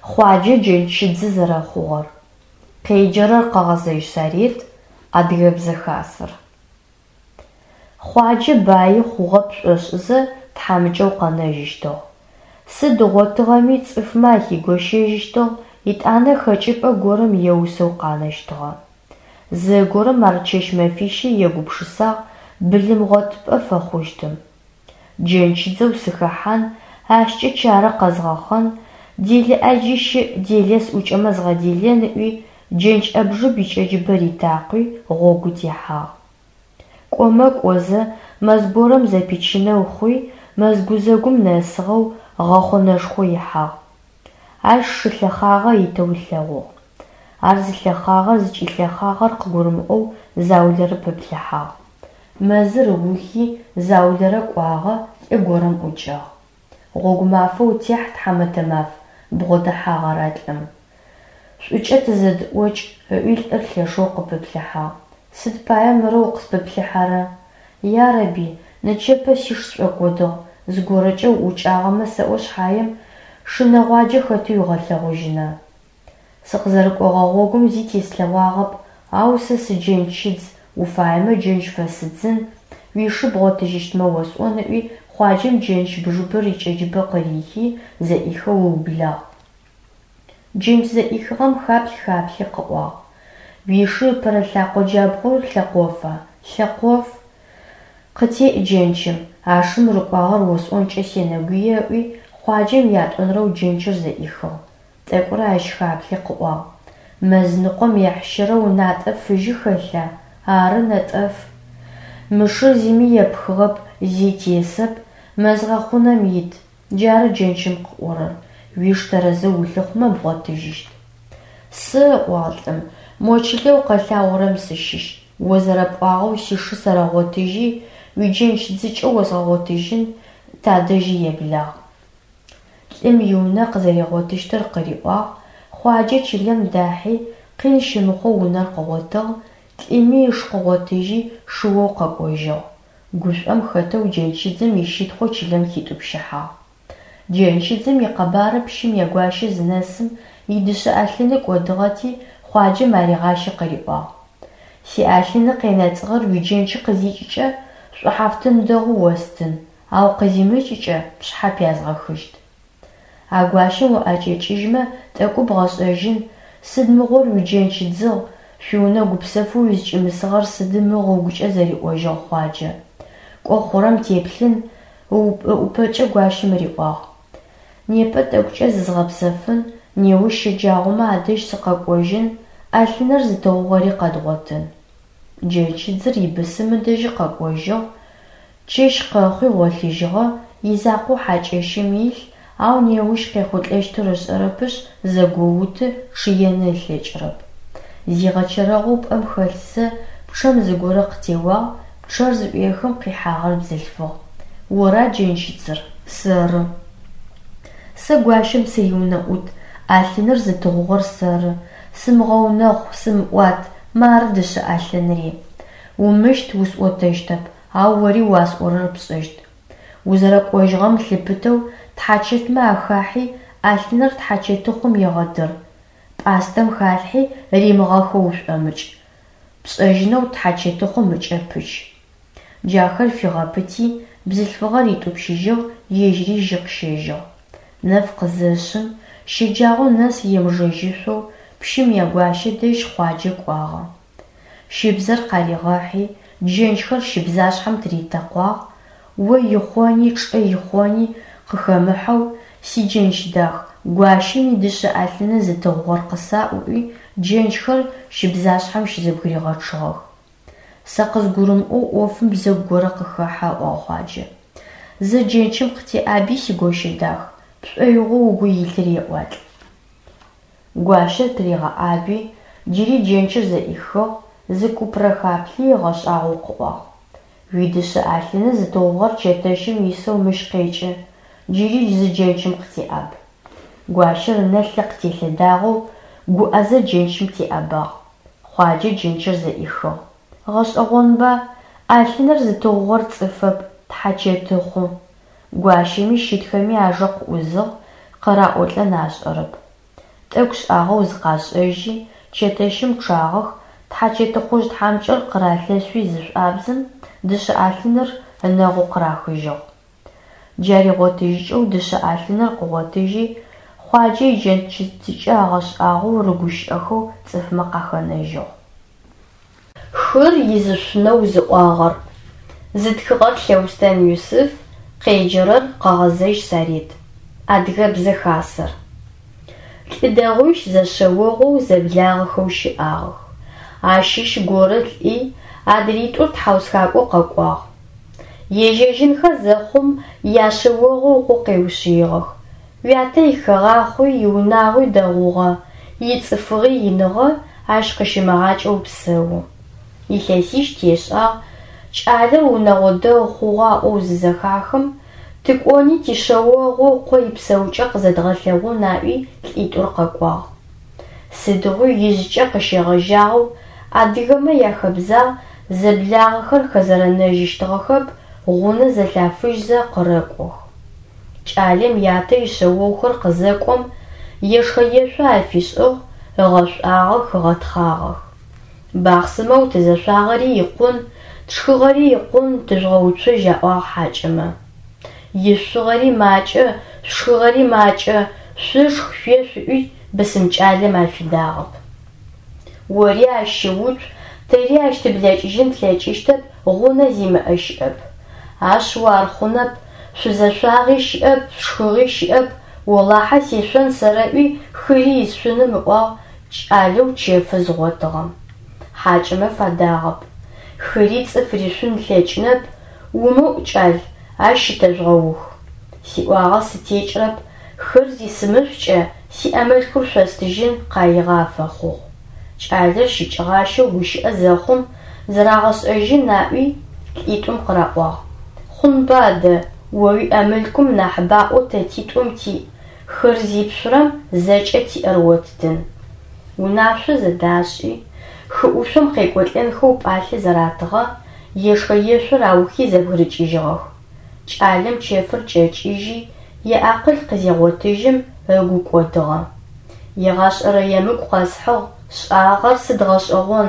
Хъуаджэ джэнчыдзы зэрэхъугъэр. Къеджэрэр Къэгъэзэжь Сарет, Адыгэбзэ Хасэр. Хъуаджэ баи хъугъэ пшӏошӏызэ тхьамыкӏэу къэнэжьыщтыгъ. Сыд ыгъотыгъэми цӏыфмэ ахигощэжьыщтыгъ, етӏанэ хэкӏыпӏэ горэм еусэу къанэщтыгъэ. Зэгорэм ар чэщ-мэфищэ егупшысагъ былымгъотыпӏэ фэхъущтым. Джэнчыдзэу сыхэхьан, ащкӏэ чарэ къэзгъэхъэн, делэ ӏаджи щыӏ, делэ сӏукӏэмэ згъэделэн ыӏуи, джэнч ӏэбжыб икӏэджыбэ ритакъуи, гъогу техьагъ. Кӏомэ кӏозэ, мэз горэм зэпичынэу хъуи, мэз гузэгум нэсыгъэу, гъэхъунэшхо ихьагъ. Ащ шы лъэхъагъэ итэу ылъэгъугъ. Ар зылъэхъагъэр зыкӏилъэхъагъэр къыгурымыӏоу заулэрэ пыплъыхьагъ. Мэзыр ыухи, заулэрэ кӏуагъэ, лӏы горэм ӏукӏагъ. Гъогу мафэ утехь, тхьамэтэ маф, бгъодэхьагъ ар а лӏым. Шӏукӏэ тызэдыӏокӏ, ыӏуи лӏыр лъэшэу къыпыплъыхьагъ. Сыд пае мырэу укъыспыплъыхьэрэ? Ярэби, нычэпэ сиш сшӏокӏодыгъ, зыгорэкӏэ уӏукӏагъэмэ сэӏо шъхьаем, шы нэгъуаджэ хэты уигъэлъэгъужьына? Сыкъызэрыкӏогъэ гъогум зи теслъэгъуагъэп, ау сэ сыджэнчыдз, уфаемэ джэнч фэсыдзын, уишы бгъотыжьыщтмэ осӏон ыӏуи, Хъуаджэм джэнч бжыбэр икӏэджыбэ къырихи, зэӏихэу ыублагъ. Джэнч зэӏихыгъэм хаплъ-хаплъи къыӏуагъ. Уишы ыпэрэ лъакъо джабгъур лъэкъофа? Лъэкъоф. Къытеӏ джэнчым, а шым рыкӏуагъэр осӏонкӏэ сенэгуе ыӏуи, Хъуаджэм ятӏонэрэу джэнчыр зэӏихыгъ. Тӏэкӏурэ ащ хаплъи къыӏуагъ. Мэз ныкъом ехьщырэу натӏэ фыжьы хэлъа? Ары, нэтӏэф. Мы шыр зыми епхыгъэп, зи тесэп, мэз гъэхъунэм ит. Джары джэнчым къыӏорэр, уиш тэрэзэу улъыхъумэ бгъотыжьыщт. Сэ, ыӏуагъ лӏым, мо чылэу къэлъагъорэм сыщыщ, о зэрэпӏуагъэу сишы сэрэгъотыжьи, уиджэнч дзыкӏэ озгъэгъотыжьын, тадэжьи еблагъ. Лӏым иунэ къызэригъотыщтыр къыриӏуагъ, Хъуаджэ чылэм дахьи, къин щымыхъоу унэр къыгъотыгъ, лӏыми иш къыгъотыжьи, шыоу къэкӏожьыгъ. Гушӏом хэтэу джэнчыдзым ищытхъу чылэм хитӏупщыхьагъ. Джэнчыдзым икъэбары пщым ягуащэ зынэсым, идышъэ ӏалъыны кӏодыгъэти, Хъуаджэм аригъащи къыриӏуагъ. Сиӏалъыны къенэцӏыгъэр уиджэнчы къызикӏыкӏэ, шӏухьафтын дэгъу остын, ау къызимыкӏыкӏэ, пшъхьэ пязгъэхыщт. А гуащэм уӏэкӏэкӏыжьмэ, тӏэкӏу бгъэшӏэжьын, сыд мыгъор уиджэнч дзыгъ, шъуиунэ гупсэфэу узкӏимысыгъэр сыды мыгъу ыгукӏэ зэриӏожьыгъ Хъуаджэ. Кӏо хъурэм теплъын, ыӏупэкӏэ гуащэм риӏуагъ. Непэ тӏэкӏукӏэ зызгъэпсэфын, неущ щэджагъомэ адэжь сыкъэкӏожьын, ӏэлъыныр зытыгъугъэри къэдгъотын. Джэнчыдзыр ибысым ыдэжьы къэкӏожьыгъ, чэщ къэхъуи гъолъыжьыгъэ, изакъоу хьакӏэщым илъ, ау неущ къехъулӏэщтыр ышӏэрэпышъ, зэгоуты, чъыены ылъэкӏырэп. Зигъэчэрэгъоу пӏэм хэлъзэ, пчъэм зыгорэ къытеуагъ, пчъэр зыӏуехым къихьагъэр бзылъфыгъ. Ора джэнчыдзыр? Сэры. Сэ гуащэм сыриунэӏут, ӏэлъыныр зытыгъугъэр сэры. Сымыгъэунэхъу, сымыӏуат, мары дышъэ ӏэлъынри. Умыщт, усӏотэщтэп, ау ори уасӏорэр пшӏэщт. Узэрэкӏожьыгъэм лъыпытэу тхьачэтмэ ахахьи, ӏэлъыныр тхьачэтыхъум егъэдыр. Пӏастэм халъхьи, римыгъэхэу ушӏомыкӏ. Пшӏэжьынэу тхьачэтыхъум ыкӏэ пыч. Джахэр фигъэпыти, бзылъфыгъэр ритӏупщыжьыгъ, ежьыри жьы къыщэжьыгъ. Нэф къызэшъым, щэджагъо нэс емыжэжьышъоу, пщым ягуащэ дэжь Хъуаджэ кӏуагъэ. Щыбзэр къаригъэхьи, джэнчхэр щыбзашъхьэм тыритэкъуагъ, о ихъони, чӏы ихъони къыхэмыхьэу, сиджэнч дах, гуащэм идышъэ ӏэлъыны зытыгъугъэр къысаӏу ыӏуи, джэнчхэр щыбзашъхьэм щызэбгыригъэчъыгъэх. Сэ къызгурымыӏоу ӏофым бзэгу горэ къыхэхьэ, ыӏуагъ Хъуаджэ. Зэ джэнчым къытеӏаби, сигощэ дах, пшӏоигъоу угу илъыр еӏуалӏ. Гуащэр тыригъэӏаби, джыри джэнчыр зэӏихыгъ, зы купрэ хаплъи ыгъэшӏагъоу къыӏуагъ. Уидышъэ ӏэлъыны зытыгъугъэр чэтэщым исэу мыщ къекӏы, джыри зы джэнчым къытеӏаб. Гуащэр ынэ лъы къытелъэдагъэу, гуӏэзэ джэнчым теӏэбагъ. Хъуаджэ джэнчыр зэӏихыгъ. Гъэшӏэгъонба, ӏэлъыныр зытыгъугъэр цӏыфэп, тхьачэтыхъу. Гуащэми щытхэми ажэ къыӏузыгъ, къыраӏолӏэн ашӏэрэп. Тӏэкӏу шӏагъэу зыкъашӏэжьи, чэтэщым чъагъэх, тхьачэтыхъужъ тхьамыкӏэр къыралъэшъуи зышӏуабзым, дышъэ ӏалъыныр ынэгъу къырахыжьыгъ. Джар игъотыжьыкӏэу дышъэ ӏалъыныр къыгъотыжьи, Хъуаджэ иджэнчытыкӏэ агъэшӏагъоу рыгущыӏэхэу цӏыфмэ къахэнэжьыгъ. Хыр изышъунэу зыӏуагъэр. Зытхыгъэр Лъэустэн Юсыф, къеджэрэр Къэгъэзэжь Сарет. Адыгэбзэ хасэр. Лӏы дэгъуищ зэшъэогъоу зэблагъэхэу щыӏагъэх. Ащыщ горэ лӏи, адритӏур тхьаусхакӏо къэкӏуагъ. Ежьэжьынхэ зэхъум, яшъэогъу ыкъо къеушъыигъэх, Уятэ ихэгъахъуи, иунагъуи дэгъугъэ, ицӏыфыгъи иныгъэ, ащ къыщымыгъакӏэу псэу. Илъэсищ тешӏагъ, кӏалэр унэгъо дэгъу хъугъэ аӏоу зызэхахым, тыкӏони тишъэогъу ыкъо ипсэукӏэ къызэдгъэлъэгъун аӏуи лӏитӏур къэкӏуагъ. Сыдигъуи ижъкӏэ къыщегъэжьагъэу адыгэмэ яхэбзагъ, зэблагъэхэр хэзэрэнэжьыщтыгъэхэп, гъунэ зэлъафыжьзэ къырэкӏох. Кӏалэм ятэ ишъэогъухэр къызэкӏом, ешхэ-ешъо афишӏыгъ, ыгъэшӏуагъэх, ыгъэтхъагъэх. Бахъсымэу тызэшъуагъэри икъун, тшхыгъэри икъун, тыжъугъэуцужь аӏуагъ хьакӏэмэ. Ишъугъэри макӏэ, шъушхыгъэри макӏэ, шъушх, шъуешъу ыӏуи бысым кӏалэм афидагъэп. Ори ащ щыуцу, тэри ащ тыблэкӏыжьын тлъэкӏыщтэп, гъунэ зимыӏэ щыӏэп. Ашъыу ар хъунэп, шъузэшъуагъи щыӏэп, шъушхыгъи щыӏэп, олахьэ сешъон сэрэӏуи, хыри исшъуным ыӏуагъ кӏалэу чэфы зыгъотыгъэм. Хьакӏэмэ фадагъэп. Хыри цӏыф ришъун ылъэкӏынэп, умыӏу, кӏал, ащ щытэжъугъэух. Сиӏуагъэ сытекӏрэп, хыр зисымышъукӏэ, сиӏэ мылъкур шъостыжьын къаигъэ афэхъугъ. Кӏалэр щыкӏыгъащэу гущыӏэ зэхъум, зэрагъэшӏэжьын аӏуи, лӏитӏум къыраӏуагъ. Хъунба адэ, о уиӏэ мылъкум нахь баӏо тэ титӏум тиӏ, хыр зипшъурэм зэкӏэ тиӏэр оттын. Унашъо зэдашӏи, хы ӏушъом къекӏолӏэнхэу пӏалъэ зэратыгъэ, ешхэ-ешъор аухи зэбгырыкӏыжьыгъэх. Кӏалэм чэфыр кӏэкӏыжьи, иакъыл къызегъотыжьым, ыгу кӏодыгъэ. Егъашӏэрэ емыкӏу къэсхьыгъ, сшӏагъэр сыд гъэшӏэгъон.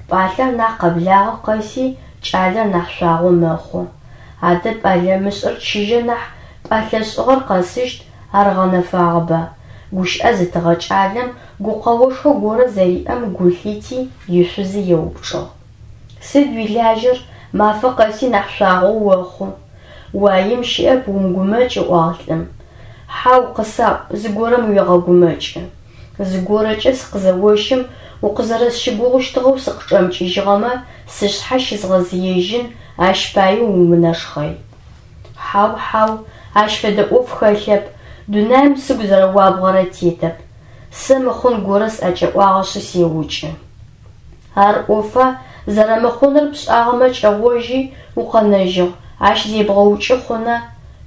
Пӏалъэр нахь къэблагъэ къэси кӏалэр нахь шъуагъо мэхъу. Адэ пӏэлъэмышӏыр чыжьэ нахь, пӏэлъэ шӏыгъэр къэсыщт, ар гъэнэфагъэба. Гущыӏэ зытыгъэ кӏалэм гукъэошхо горэ зэриӏэм гу лъити, ишъузы еупчӏыгъ. Сыд уилажьэр, мафэ къэси нахь шъуагъо охъу. Уаим щыӏэп, умыгумэкӏ, ыӏуагъ лӏым. Хьау, къысаӏу, зыгорэм уегъэгумэкӏы. Зыгорэкӏэ сыкъызэощым, укъызэрэсщыгугъыщтыгъэу сыкъычӏэмыкӏыжьыгъэмэ, сышъхьэ щызгъэзыежьын, ащ пае умынэшхъэй. Хьау, хьау, ащ фэдэ ӏоф хэлъэп, дунаим сыгу зэрэуабгъэрэ тетэп. Сэ мыхъун горэ сӏэкӏэӏуагъэшъы сеукӏы. Ар ӏофа, зэрэмыхъуныр пшӏагъэмэ кӏэгъожьи, укъэнэжьыгъ, ащ зебгъэукӏы хъуна,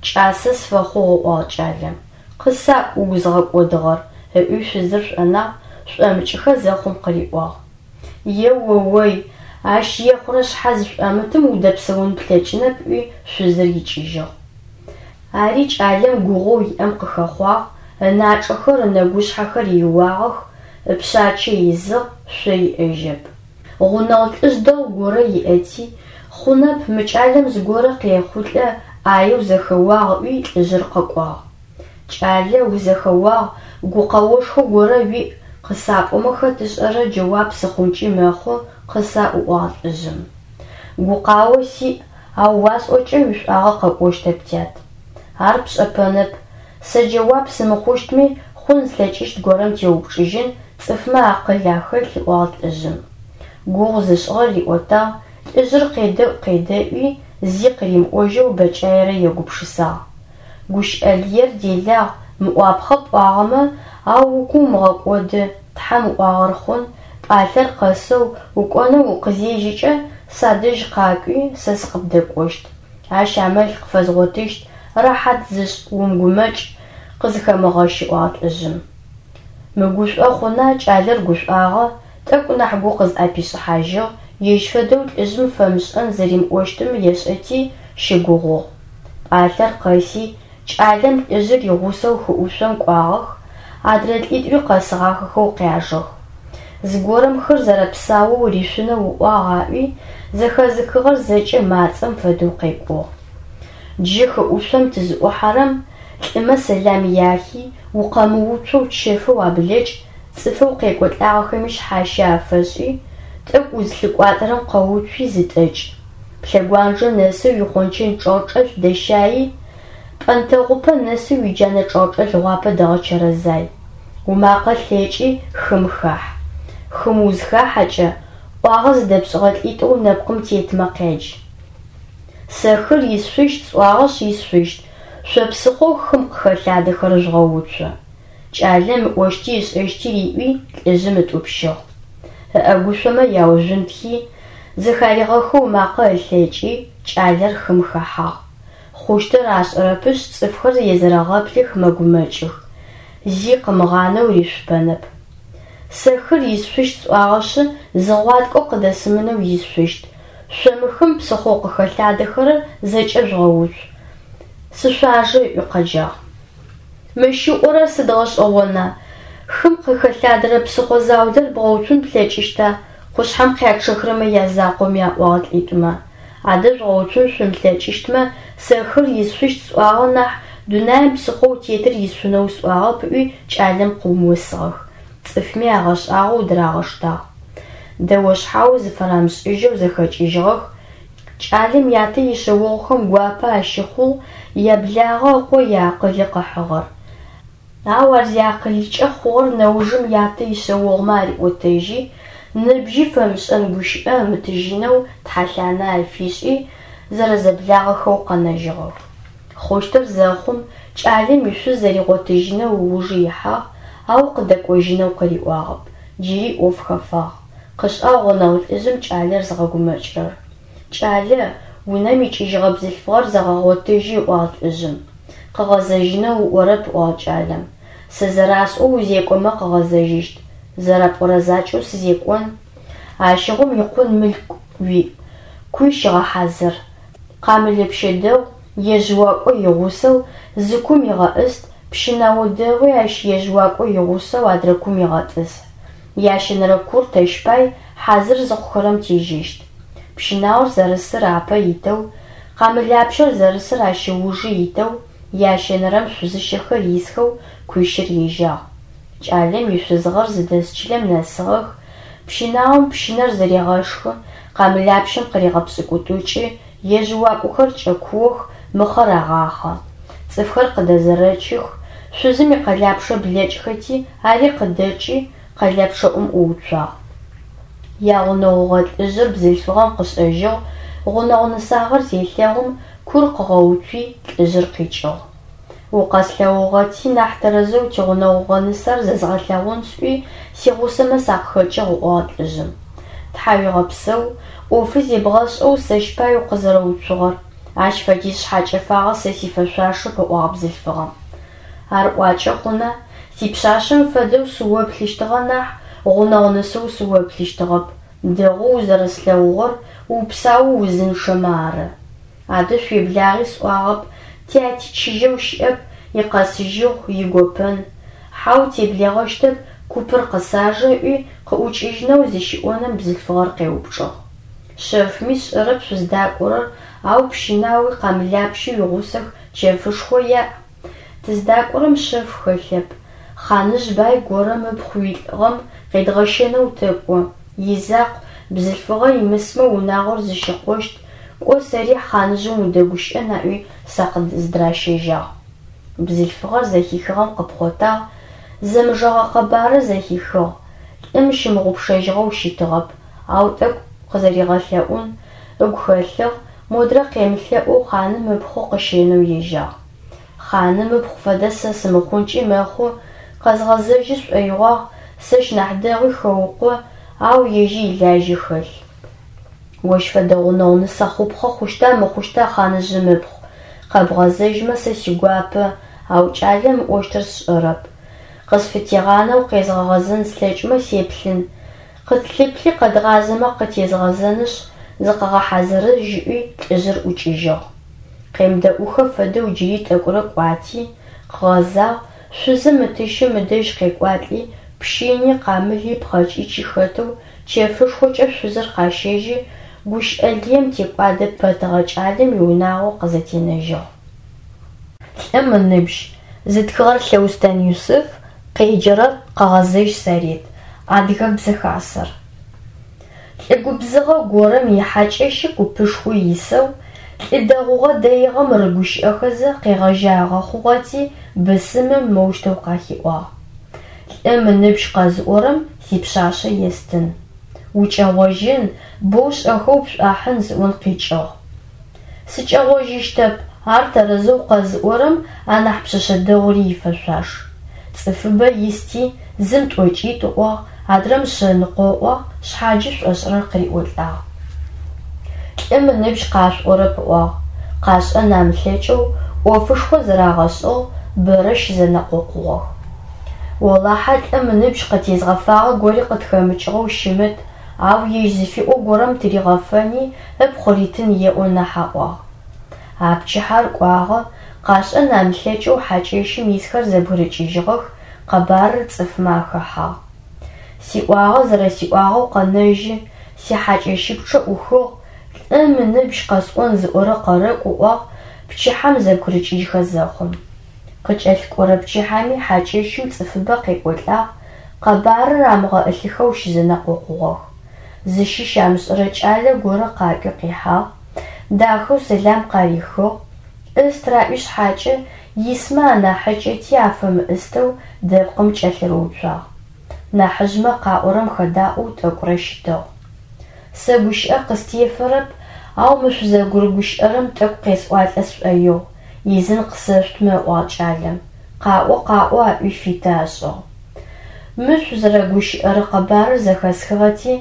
кӏасэ сфэхъугъ, ыӏуагъ кӏалэм. Къысаӏу угу зыгъэкӏодыгъэр, ыӏуи шъузыр шӏонагъ, шӏомыкӏыхэ зэхъум къыриӏуагъ. Е-о-ой, ащ ехъурэ шъхьэ зышӏомытым удэпсэун плъэкӏынэп, ыӏуи шъузыр икӏыжьыгъ. Ари кӏалэм гугъоу иӏэм къыхэхъуагъ, ыначӏэхэр, ынэгушъхьэхэр иуагъэх, ыпшъачэ изыгъ, шъо иӏэжьэп. Гъунэгъу лӏыжъ дэгъу горэ иӏэти, хъунэп, мы кӏалэм зыгорэ къехъулӏэ, ӏаеу зэхэуагъ ыӏуи лӏыжъыр къэкӏуагъ. Кӏалэ, узэхэуагъ, гукъэошхо горэ уиӏ, къысапӏомэ хэт ышӏэрэ джэуап сыхъункӏи мэхъу, къысаӏу, ыӏуагъ лӏыжъым. Гукъао сиӏ, ау уасӏокӏэ уишӏуагъэ къэкӏощтэп, тят. Ар пшӏэпэнэп. Сэ джэуап сымыхъущтми, хъун зылъэкӏыщт горэм теупчӏыжьын, цӏыфмэ акъыл ахэлъ, ыӏуагъ лӏыжъым. Гугъу зышӏыгъэр риӏотагъ, лӏыжъыр къедэӏу-къедэӏуи, зи къыримыӏожьэу бэкӏаерэ егупшысагъ. Гущыӏэ лыер делагъ, мыӏуапхъэ пӏуагъэмэ, ау угу умыгъэкӏоды, Тхьэм ыӏуагъэр хъун, пӏалъэр къэсэу, укӏонэу укъызежьэкӏэ, садэжь къакӏуи, сэ сыкъыбдэкӏощт. Ащ амал къыфэзгъотыщт, рэхьат зышӏ, умыгумэкӏ, къызыхэмыгъэщ, ыӏуагъ лӏыжъым. Мыгушӏо хъуна, кӏалэр гушӏуагъэ, тӏэкӏу нахь гу къызӏэпишӏыхьажьыгъ, ежь фэдэу лӏыжъым фэмышӏэн зэримыӏощтым ешӏэти, щыгугъугъ. Пӏалъэр къэси, кӏалэм лӏыжъыр игъусэу хыӏушъом кӏуагъэх. Адрэ лӏитӏури къэсыгъахэхэу къяжэх. Зыгорэм хыр зэрэпсаоу ришъунэу ыӏуагъ аӏуи, зэхэзыхыгъэр зэкӏэ мацӏэм фэдэу къекӏугъ. Джы хыӏушъом тызыӏухьэрэм, лӏымэ сэлам яхи, укъэмыуцоу чэфэу аблэкӏ, цӏыфэу къекӏолӏагъэхэми шъхьащэ афэшӏи, тӏэкӏу узлъыкӏуатэрэм къэуцуи зытӏэкӏ. Плъэгуанджэ нэсэу уихъончэн чӏэгъчӏэлъ дэщаи, пӏэнтэгъупэ нэсэу уиджанэ чӏэгъчӏэлъ гъуапэ дэгъэчэрэзай. Умакъэ лъэкӏи хым хахь. Хым узхахьэкӏэ, ӏуагъэ зыдэпшӏыгъэ лӏитӏоу нэпкъым тетмэ къядж. Сэ хыр исшъущт сӏуагъэшъ исшъущт, шъо псыхъоу хым къыхэлъадэхэрэр жъугъэуцу. Кӏалэм ыӏощти ышӏэщти риӏуи, лӏыжъым ытӏупщыгъ. Ыӏэгушъомэ яужъунтхи, зэхаригъэхэу ымакъэ ылъэкӏи, кӏалэр хым хэхьагъ. Хъущтыр ашӏэрэпышъ, цӏыфхэр езэрэгъэплъых, мэгумэкӏых. Зи къымыгъанэу ришъупэнэп. Сэ хыр исшъущт сӏуагъэшъы, зы гъуаткӏо къыдэсымынэу исшъущт. Шъо мы хым псыхъоу къыхэлъадэхэрэр зэкӏэ жъугъэуцу. Сышъуажэ, ыӏуи къэджагъ. Мыщ ыӏорэр сыд гъэшӏэгъона, хым къыхэлъадэрэ псыхъо заулэр бгъэуцун плъэкӏыщта, къушъхьэм къячъэхрэмэ язакъоми, аӏуагъ лӏитӏумэ. Адэ жъугъэуцун шъумылъэкӏыщтмэ, сэ хыр исшъущт сӏуагъэ нахь, дунаим псыхъоу тетыр исшъунэу сӏуагъэп, ыӏуи кӏалэм къыумысыгъэх. Цӏыфми агъэшӏагъоу дырагъэштагъ. Дэо-шъхьао зыфарамышӏыжьэу зэхэкӏыжьыгъэх, Кӏалэм ятэ ишъэогъухэм гуапэ ащыхъугъ яблагъэ ыкъо иакъылы къыхьыгъэр. Ау ар зиакъылыкӏэ хъугъэр нэужым ятэ ишъэогъумэ ариӏотэжьи, ныбжьи фэмышӏэн гущыӏэ ымытыжьынэу тхьэлъанэ афишӏи, зэрэзэблагъэхэу къэнэжьыгъэх. Хъущтыр зэхъум, кӏалэм ишъуз зэригъотыжьынэу ыужы ихьагъ, ау къыдэкӏожьынэу къыриӏуагъэп, джыри ӏоф хэфагъ. Къышӏагъ гъунэгъу лӏыжъым кӏалэр зыгъэгумэкӏырэр. Кӏалэ, унэм икӏыжьыгъэ бзылъфыгъэр зэгъэгъотыжьи, ыӏуагъ лӏыжъым. Къыгъэзэжьынэу ыӏорэп, ыӏуагъ кӏалэм. Сэ зэрасӏоу узекӏомэ къыгъэзэжьыщт. Зэрэпӏорэ закӏэу сызекӏон. Ащыгъум икъун мылъку уиӏ, куй щыгъэхьазыр. Къамылэпщэ дэгъу, ежъыуакӏо игъусэу, зы кум игъэӏыст, пщынао дэгъуи ащ ежъыуакӏо игъусэу адрэ кум игъэтӏысхь. Ящэнэрэ кур тэщ пай, хьазыр зыхъухэрэм тежьэщт. Пщынаор зэрысыр апэ итэу, къамылапщэр зэрысыр ащ ыужы итэу, ящэнэрэм шъузыщэхэр исхэу куищыр ежьагъ. Кӏалэм ишъузгъэр зыдэс чылэм нэсыгъэх, пщынаом пщынэр зэрегъэшхы, къамылапщэм къырегъэпшӏыкӏутӏукӏы, ежъыуакӏохэр кӏэкуох, мыхъэр агъахъэ. Цӏыфхэр къыдэзэрэчых, шъузым икъэлапчъэ блэкӏхэти, ари къыдэкӏи, къэлэпчъэӏум ӏууцуагъ. Ягъунэгъугъэ лӏыжъыр бзылъфыгъэм къышӏэжьыгъ, гъунэгъу нысагъэр зелъэгъум, кур къыгъэуцуи, лӏыжъыр къикӏыгъ. Укъэслъэгъугъэти, нахь тэрэзэу тигъунэгъугъэ нысэр зэзгъэлъэгъун сӏуи, сигъусэмэ сакъыхэкӏыгъ, ыӏуагъ лӏыжъым. Тхьауегъэпсэу, ӏофы зебгъэшӏэу сэщ пай укъызэрэуцугъэр, ащ фэдиз шъхьакӏэфагъэ сэ сифэшъуашэп, ыӏуагъ бзылъфыгъэм. Ар ӏуакӏэ хъуна, сипшъашъэм фэдэу сыоплъыщтыгъэ нахь, гъунэгъу нысэу сыоплъыщтыгъэп, дэгъоу узэрэслъэгъугъэр, упсаоу узынчъэмэ ары. Адэ шъуеблагъи сӏуагъэп, тяти чыжьэу щыӏэп, икъэсыжьыгъу, игопэн. Хьау, теблэгъэщтэп, купыр къысажэ, ыӏуи, къыӏукӏыжьынэу зыщиӏонэм бзылъфыгъэр къеупчӏыгъ. Шъэфми сшӏэрэп шъуздакӏорэр, ау пщынауи къамылапщи уигъусэх, чэфышхо яӏ. Тыздакӏорэм шъэф хэлъэп. Хъаныжъ бай горэм ыпхъу уилӏыгъэм къедгъэщэнэу тэкӏо. Изакъу, бзылъфыгъэ имысмэ унагъор зыщыкъощт, кӏо сэри хъаныжъым удэгущыӏэн аӏуи сакъыздыращэжьагъ. Бзылъфыгъэр зэхихыгъэм къыпхъотагъ, зэмыжэгъэ къэбарыр зэхихыгъ, лӏым щымыгъупшэжьыгъэу щытыгъэп, ау тӏэкӏу къызэригъэлъэӏун ыгу хэлъыгъ, модрэ къемылъэӏоу хъаным ыпхъу къыщэнэу ежьагъ. Хъаным ыпхъу фэдэ сэ сымыхъункӏи мэхъу, къэзгъэзэжьы сшӏоигъуагъ, сэщ нахь дэгъуи хэукъо, ау ежьи илажьи хэлъ. Ощ фэдэ гъунэгъу нысэ хъупхъэ хъущта мыхъущта хъаныжъым ыпхъу? Къэбгъэзэжьмэ сэ сигуапэ, ау кӏалэм ыӏощтыр сшӏэрэп. Къысфытегъанэу къезгъэгъэзэн слъэкӏмэ сеплъын. Къытлъыплъи къэдгъазэмэ къытезгъэзэнышъ, зыкъэгъэхьазырыжь ыӏуи лӏыжъыр ӏукӏыжьыгъ. Къемыдэӏухэ фэдэу джыри тӏэкӏурэ кӏуати, къыгъэзагъ, Шъузым ытыщым ыдэжь къекӏуалӏи, пщыни, къамыли, пхъэкӏычи хэтэу чэфышхокӏэ шъузыр къащэжьи, гущыӏэ лыем текӏуадэ пэтыгъэ кӏалэм иунагъо къызэтенэжьыгъ. Лӏым ыныбжь. Зытхыгъэр Лъэустэн Юсыф, къеджэрэр Къэгъэзэжь Сарет, Адыгэбзэ Хасэр. Лӏы губзыгъэ горэм ихьакӏэщы купышхо исэу, лӏы дэгъугъэ-дэигъэм рыгущыӏэхэзэ къегъэжьагъэ хъугъэти, бысымым моущтэу къахиӏуагъ: Лӏым ыныбжь къэзыӏорэм сипшъашъэ естын. Укӏэгъожьын, боу шӏэхэу пшӏуахьын зыӏон къикӏыгъ. Сыкӏэгъожьыщтэп, ар тэрэзэу къэзыӏорэм анахь пшъэшъэ дэгъури ифэшъуаш. Цӏыфыбэ исти, зым тӏокӏитӏу ыӏуагъ, адрэм шъэныкъо ыӏуагъ, шъхьаджи шӏошӏырэр къыриӏолӏагъ. Лӏым ыныбжь къашъуӏорэп ыӏуагъ. Къашӏэн амылъэкӏэу ӏофышхо зырагъэшӏыгъ, бэрэ щызэнэкъокъугъэх. Олахьэ лӏым ыныбжь къытезгъэфагъэ гори къытхэмыкӏыгъэу щымыт, ау ежь зыфиӏо горэм тыригъэфэни ыпхъу ритын еӏо нахь аӏуагъ. А пчыхьэр кӏуагъэ, къашӏэн амылъэкӏэу хьакӏэщым исхэр зэбгырыкӏыжьыгъэх, къэбарыр цӏыфмэ ахэхьагъ. Сиӏуагъэ зэрэсиӏуагъэу къэнэжьы, сихьакӏэщыпчъэ ӏухыгъ, лӏым ыныбжь къэсӏон зыӏорэ къэрэкӏу ыӏуагъ пчыхьэм зэбгырыкӏыжьхэ зэхъум. Къыкӏэлъыкӏорэ пчыхьэми хьакӏэщым цӏыфыбэ къекӏолӏагъ, къэбарыр амыгъэӏылъыхэу щызэнэкъокъугъэх. Зыщыщ амышӏэрэ кӏалэ горэ къакӏуи къихьагъ, дахэу сэлам къарихыгъ, ӏыст раӏуи шъхьакӏэ, исмэ анахьыкӏэти афэмыӏыстэу дэпкъым кӏэлъырыуцуагъ. Нахьыжъмэ къаӏорэм хэдаӏоу тӏэкӏурэ щытыгъ. Сэ гущыӏэ къыстефэрэп, ау мы шъузэгурыгущыӏэрэм тӏэкӏу къесӏуалӏэ сшӏоигъу, изын къысэшъутмэ, ыӏуагъ кӏалэм. Къаӏо, къаӏо, аӏуи фиты ашӏыгъ. Мы шъузэрэгущыӏэрэ къэбарыр зэхэсхыгъэти,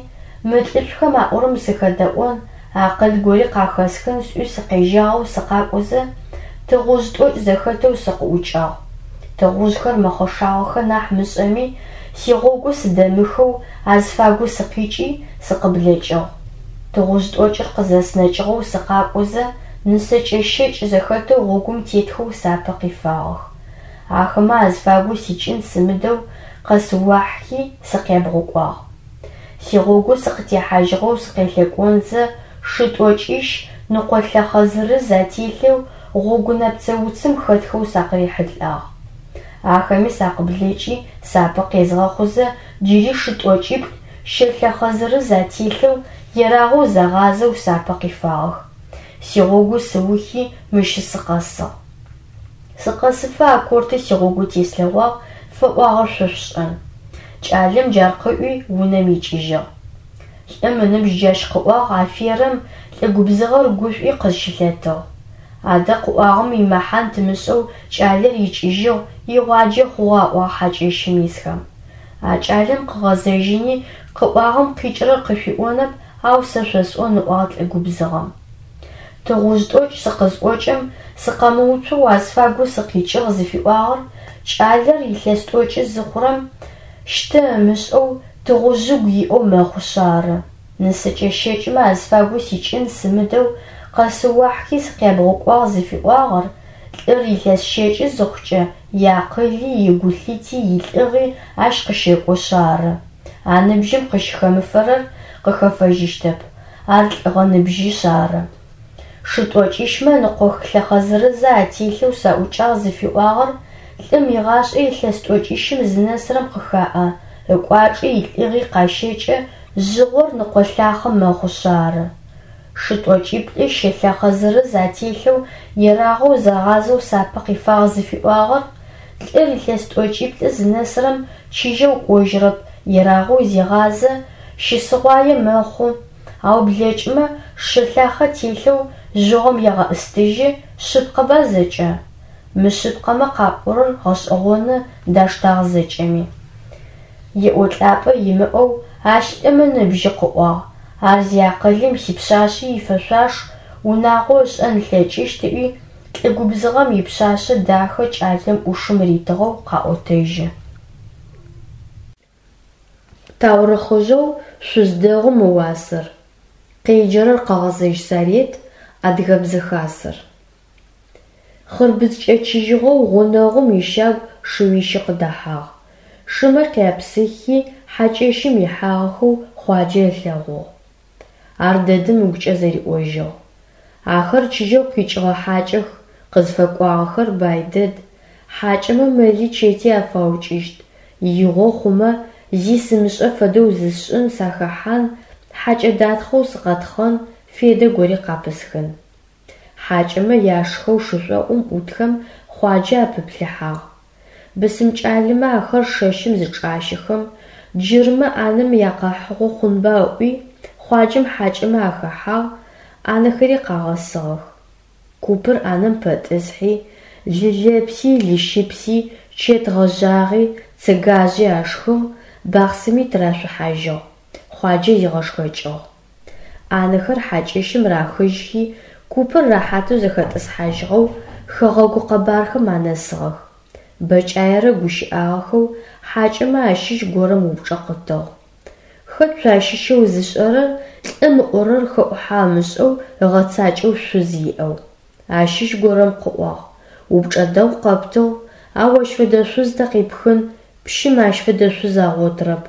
мы лӏышӏухэм аӏорэм сыхэдэӏон, акъыл гори къахэсхын сӏуи сыкъежьагъэу сыкъакӏозэ, тыгъужъ тӏокӏ зэхэтэу сыкъыӏукӏагъ. Тыгъужъхэр мэхъэшагъэхэ нахь мышӏэми, сигъогу сыдэмыхэу азыфагу сыкъикӏи, сыкъыблэкӏыгъ. Тыгъужъ тӏокӏыр къызэснэкӏыгъэу сыкъакӏозэ, нысэкӏэ щэкӏ зэхэтэу гъогум тетхэу сапэ къифагъэх. Ахэмэ азыфагу сикӏын сымыдэу къэсыуахьхи, сыкъябгъукӏуагъ. Сигъогу сыкъытехьажьыгъэу сыкъелъэкӏонзэ, шы тӏокӏищ ныкъолъэхъэ зырыз ателъэу гъогунэпцэ уцым хэтхэу сакъырихьылӏагъ. Ахэми сакъыблэкӏи, сапэ къезгъэхъузэ, джыри шы тӏокӏиплӏ щэлъэхъэ зырыз ателъэу, ерагъэу загъазэу сапэ къифагъэх. Сигъогу сыухи, мыщ сыкъэсыгъ. Сыкъэсыфэ а корты сигъогу теслъэгъуагъ, фэӏуагъэр шъо шъушӏэн. Кӏалэм джар къыӏуи, унэм икӏыжьыгъ. Лӏым ыныбжь джащ къыӏуагъ, аферэм, лӏы губзыгъэр гушӏуи къызщылъэтыгъ. Адэ къыӏуагъэм имэхьан тымышӏэу кӏалэр икӏыжьыгъ, игъуаджэ хъугъэ аӏуагъ хьакӏэщым исхэм. А кӏалэм къыгъэзэжьыни, къыӏуагъэм къикӏырэр къышъуиӏонэп, ау сэ шъосӏон ыӏуагъ лӏы губзыгъэм. Тыгъужъ тӏокӏ сыкъызӏокӏэм, сыкъэмыуцоу азфагу сыкъикӏыгъ зыфиӏуагъэр, кӏалэр илъэс тӏокӏы зыхъурэм, щтэ ымышӏэу, тыгъужъыгу иӏэу мэхъушъ ары. Нысэкӏэ щэкӏмэ азфагу сикӏын сымыдэу, къэсыуахьхи сыкъябгъукӏуагъ зыфиӏуагъэр, лӏыр илъэс щэкӏы зыхъукӏэ, иакъыли, игулъыти, илӏыгъи ащ къыщэкӏошъ ары. А ныбжьым къыщыхэмыфэрэр къыхэфэжьыщтэп, ар лӏыгъэ ныбжьышъ ары. Шы тӏокӏищмэ ныкъохылъэхъэ зырызэ ателъэу саӏукӏагъ зыфиӏуагъэр лӏым игъашӏэ илъэс тӏокӏищым зынэсырэм къыхаӏэ, ыкӏуачӏи илӏыгъи къащэкӏэ, жъыгъор ныкъолъахъэ мэхъушъ ары. Шы тӏокӏиплӏи щэлъэхъэ зырыз ателъэу ерагъэу загъазэу сапэ къифагъ зыфиӏуагъэр лӏыр илъэс тӏокӏиплӏы зынэсырэм чыжьэу кӏожьырэп, ерагъэу зегъазэ, щысыгъуае мэхъу, ау блэкӏымэ, шы лъахъэ телъэу жъыгъом егъэӏыстыжьы, шъыпкъэба зэкӏэ? Мышъыпкъэмэ къапӏорэр гъэшӏэгъоны, даштагъ зэкӏэми. Еӏолӏапӏэ имыӏэу ащ лӏым ыныбжьы къыӏуагъ, ар зиакъылым сипшъашъи ифэшъуаш, унагъо ышӏэн ылъэкӏыщт ыӏуи, лӏы губзыгъэм ипшъашъэ дахэ кӏалэм ӏушым ритыгъэу къаӏотэжьы. Таурыхъыжъэу Шъуз дэгъум ыуасэр. Къеджэрэр Къэгъэзэжь Сарет, Адыгэбзэ Хасэр. Хъырбыдз кӏэчыжьыгъэу гъунэгъум ищагу шыуищы къыдэхьагъ. Шымэ къяпсыхи, хьакӏэщым ихьагъэхэу Хъуаджэ ылъэгъугъ. Ардэдэм ыгукӏэ зэриӏожьыгъ. Ахэр чыжьэу къикӏыгъэ хьакӏэх, къызфэкӏуагъэхэр бай дэд, хьакӏэмэ мэли чэти афаукӏыщт, игъо хъумэ, зи сымышӏэ фэдэу зысшӏын, сахэхьан, хьакӏэ датхъэу сыкъэтхъэн, федэ гори къапысхын. Хьакӏэмэ яшхэу шышӏоӏум ӏутхэм Хъуаджэ апыплъыхьагъ. Бысым кӏалэмэ ахэр шэщым зычӏащэхэм, джырмэ ӏанэм якъэхьыгъо хъунба ыӏуи, Хъуаджэм хьакӏэмэ ахэхьагъ, ӏанэхэри къагъэсыгъэх. Купыр ӏанэм пэтӏысхьи, лы лэпси, лыщыпси, чэт гъэжъагъи, цыгажъи ашхыгъ, бахъсыми тырашъухьажьыгъ. Хъуаджэ зигъэшхэкӏыгъ. ӏанэхэр хьакӏэщым рахыжьхи, купыр рэхьатэу зэхэтӏысхьажьыгъэу, хэгъэгу къэбархэм анэсыгъэх. Бэкӏаерэ гущыӏагъэхэу хьакӏэмэ ащыщ горэм упчӏэ къытыгъ. Хэт шъуащыщэу зышӏэрэр лӏым ыӏорэр хэӏухьэ ымышӏэу ыгъэцакӏэу шъуз иӏэу? Ащыщ горэм къыӏуагъ. Упчӏэ дэгъу къэптыгъ, ау ащ фэдэ шъуз тэ къипхын, пщым ащ фэдэ шъуз агъотырэп,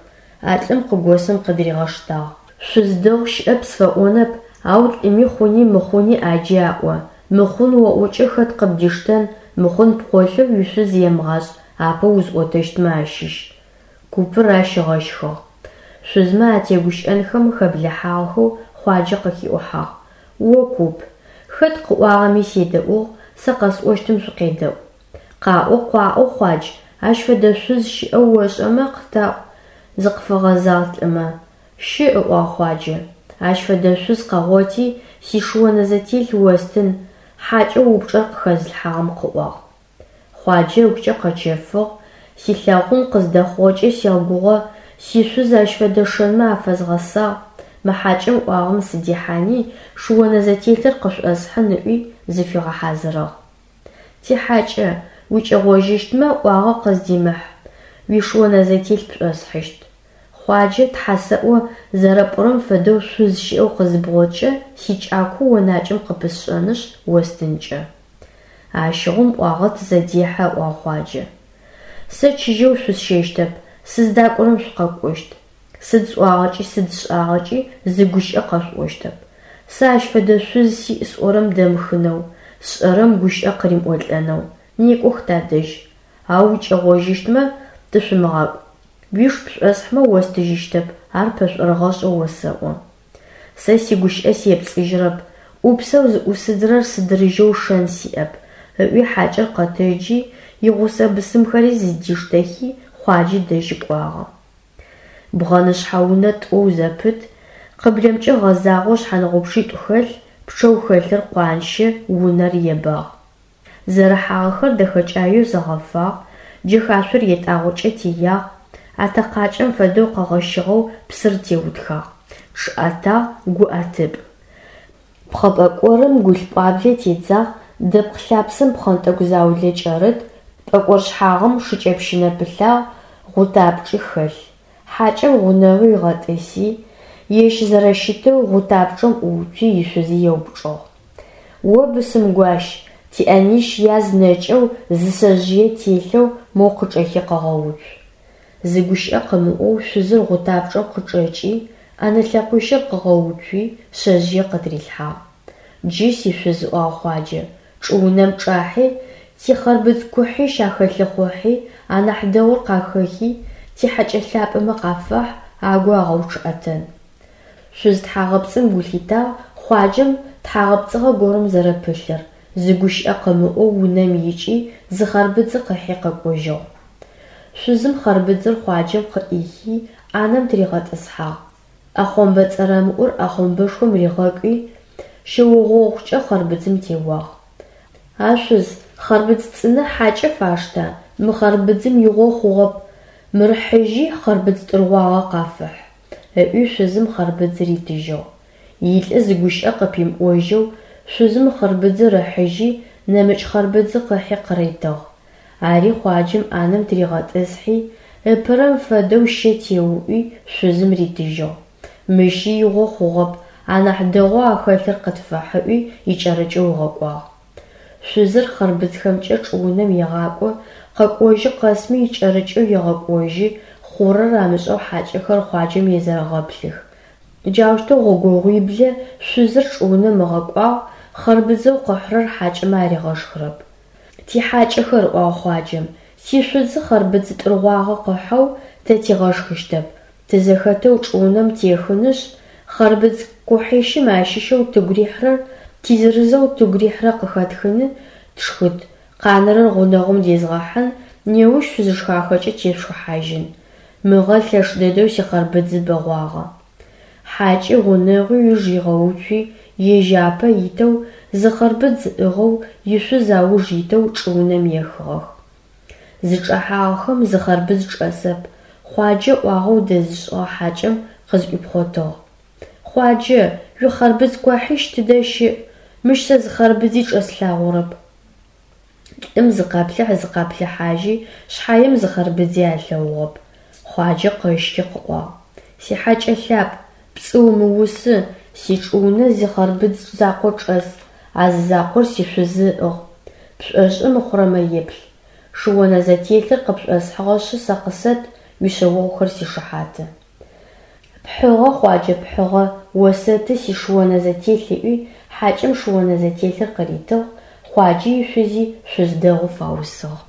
а лӏым къыгосым къыдыригъэштагъ. Шъуз дэгъу щыӏэп сфэӏонэп, ау лӏыми хъуни мыхъуни ӏаджи аӏо. Мыхъун оӏокӏэ хэт къыбдиштэн, мыхъун пкъолъэу уишъуз емыгъашӏ апэ узӏотэщтмэ ащыщ. Купыр ащ ыгъэщхыгъ. Шъузмэ атегущыӏэнхэм хэблыхьагъэхэу Хъуаджэ къыхиӏухьагъ. О куп, хэт къыӏуагъэми седэӏугъ, сэ къэсӏощтым шъукъедэӏу. Къаӏо, къуаӏо, Хъуадж, ащ фэдэ шъуз щыӏэу ошӏэмэ, къытаӏу, зыкъыфэгъэзагъ лӏымэ. Щыӏ, ыӏуагъ Хъуаджэ. Ащ фэдэ шъуз къэгъоти, сишыонэзэтелъ остын, хьакӏэу упчӏэр къыхэзылъхьагъэм къыӏуагъ. Хъуаджэ ыгукӏэ къэчэфыгъ, силъэгъун къыздэхъугъэкӏэ сэгугъэ, сишъуз ащ фэдэ шэнмэ афэзгъэсагъ, мы хьакӏэм ыӏуагъэм сыдихьани, шыонэзэтелъыр къышӏосхьын ыӏуи, зыфигъэхьазырыгъ. Тихьакӏэ, укӏэгъожьыщтмэ, ӏуагъэ къыздимыхь, уишыонэзэтелъ пшӏосхьыщт. Хъуаджэ, тхьэ сэӏо, зэрэпӏорэм фэдэу шъуз щыӏэу къызыбгъоткӏэ, сикӏако онакӏэм къыпысшӏэнышъ, остынкӏэ. Ащыгъум ӏуагъэ тызэдехьэ, ыӏуагъ Хъуаджэ. Сэ чыжьэу шъусщэщтэп, сыздакӏорэм шъукъэкӏощт. Сыд сӏуагъэкӏи сыд сшӏагъэкӏи зы гущыӏэ къэшъуӏощтэп. Сэ ащ фэдэ шъуз сиӏ сӏорэм дэмыхынэу, сшӏэрэм гущыӏэ къыримыӏолӏэнэу. Некӏох тадэжь. Ау укӏэгъожьыщтмэ, тышъумыгъакӏу. Уиш пшӏосхьмэ остыжьыщтэп, ар пэшӏорыгъэшъэу осэӏо. Сэ сигущыӏэ сепцӏыжьырэп, ӏупсэу зыӏусыдзырэр сыдырыжьэу шэн сиӏэп, ыӏуи хьакӏэр къэтэджи, игъусэ бысымхэри зыдиштэхи, Хъуаджэ дэжьы кӏуагъэ. Бгъэнышъхьэ унэ тӏоу зэпыт, къыблэмкӏэ гъэзагъэу шъхьангъупчъитӏу хэлъ, пчъэу хэлъыр къуанщэ, унэр ебагъ. Зэрыхьагъэхэр дэхэкӏаеу зэгъэфагъ, джэхашъор етӏагъокӏэ теягъ, атэкъакӏэм фэдэу къэгъэщыгъэу псыр теутхагъ, чъыӏэтагъ, гуӏэтыпӏ. Пхъэ пӏэкӏорым гулъ пӏуаблэ тедзагъ, дэпкъ лъапсэм пхъэнтӏэкӏу заулэ кӏэрыт, пӏэкӏор шъхьагъым шыкӏэпщынэ пылъагъ, гъутапчӏи хэлъ. Хьакӏэм гъунэгъуи ыгъэтӏыси, ежь зэрэщытэу гъутапчӏэм ӏууцуи ишъузи еупчӏыгъ. О бысымгуащ, тиӏэнищ яз нэкӏэу зы шъэжъые телъэу моу къычӏэхи къэгъэуцу. Зы гущыӏэ къымыӏоу шъузыр гъутапчӏэм къычӏэкӏи, ӏэнэ лъэкъуищыр къыгъэуцуи, шъэжъые къытырилъхьагъ. Джы, сишъуз, ыӏуагъ Хъуаджэ, чӏыунэм чӏахьи, тихъэрбыдз кухьищ ахэлъыхъухьи, анахь дэгъур къахэхи, тихьэкӏэ лъапӏэмэ къафэхь, агу агъэучъыӏэтэн. Шъуз тхьагъэпцӏым гу лъитагъ Хъуаджэм тхьагъэпцӏыгъэ горэм зэрэпылъыр, зы гущыӏэ къымыӏоу унэм икӏи, зы хъарбыдзы къыхьи къэкӏожьыгъ. Шъузым хъарбыдзыр Хъуаджэм къыӏихи, ӏанэм тыригъэтӏысхьагъ. ӏэхъомбэ цӏэрэмыӏур ӏэхъомбэшхом ригъэкӏуи, щэугъогъукӏэ хъарбыдзым теуагъ. А шъуз, хъарбыдз цӏынэ хьакӏэ фашта, мы хъарбыдзым игъо хъугъэп, мыр хьыжьи хъарбыдз тӏыргъуагъэ къафэхь. Ыӏуи шъузым хъарбыдзыр ритыжьыгъ. Илӏы зы гущыӏэ къыпимыӏожьэу, шъузым хъарбыдзыр ыхьыжьи, нэмыкӏ хъарбыдзы къыхьи къыритыгъ. Ари Хъуаджэм ӏанэм тыригъэтӏысхьи, ыпэрэм фэдэу щэ теуӏуи, шъузым ритыжьыгъ. Мыщи игъо хъугъэп, анахь дэгъоу ахэлъыр къытфэхь ыӏуи икӏэрыкӏэу ыгъэкӏуагъ. Шъузыр хъарбыдзхэмкӏэ чӏыунэм егъакӏо, Къэкӏожьы къэсми икӏэрыкӏэу егъэкӏожьы, хъурэр амышӏэу хьакӏэхэр Хъуаджэм езэрэгъэплъых. Джаущтэу гъогогъуиблэ шъузыр чӏыунэм ыгъэкӏуагъ, хъэрбыдзэу къыхьрэр хьакӏэмэ аригъэшхырэп. Тихьакӏэхэр, ыӏуагъ Хъуаджэм, сишъузы хъэрбыдз тӏыргъуагъэ къыхьэу тэ тигъэшхыщтэп, тызэхэтэу чӏыунэм техынышъ, хъэрбыдз кухьищым ащыщэу тыгу рихьрэр, тизырызэу тыгу рихьрэр къыхэтхыны, тшхыт, къанэрэр гъунэгъум дезгъэхьын, неущ шъузышхахэкӏэ тешъушхыхьажьын. Мыгъэ лъэш дэдэу сихъэрбыдзы бэгъуагъэ. Хьакӏи гъунэгъуи ыуж ригъэуцуи, ежь апэ итэу, зы хъэрбыдз ыӏыгъэу, ишъуз ауж итэу чӏыунэм ехыгъэх. Зычӏэхьагъэхэм зы хъэрбыдз чӏэсэп, Хъуаджэ ӏуагъэу дэзышӏыгъэ хьакӏэм къызӏуипхъотыгъ. Хъуаджэ, уихъэрбыдз куахьищ тыдэ щыӏ? Мыщ сэ зы хъэрбыдзи чӏэслъагъорэп. Лӏым зыкъаплъыхь-зыкъаплъыхьажьи, шъхьаем зы хъэрбыдзи алъэгъугъэп. Хъуаджэ къэщхи къыӏуагъ. Сихьакӏэ лъапӏ, пцӏы умыусы, сичӏыунэ зы хъэрбыдз закъо чӏэс, а зы закъор сишъузы ыӏыгъ. Пшӏошъы мыхъурэмэ еплъ. Шыонэзэтелъыр къыпшӏосхьыгъэшъы сэ къысэт, уишъэогъухэр сишыхьаты. Пхьыгъэ, Хъуаджэ, пхьыгъэ, осэты сишыонэзэтелъ ыӏуи, хьакӏэм шыонэзэтелъыр къыритыгъ, Хъуаджи ишъузи шъуз дэгъу фаусыгъ.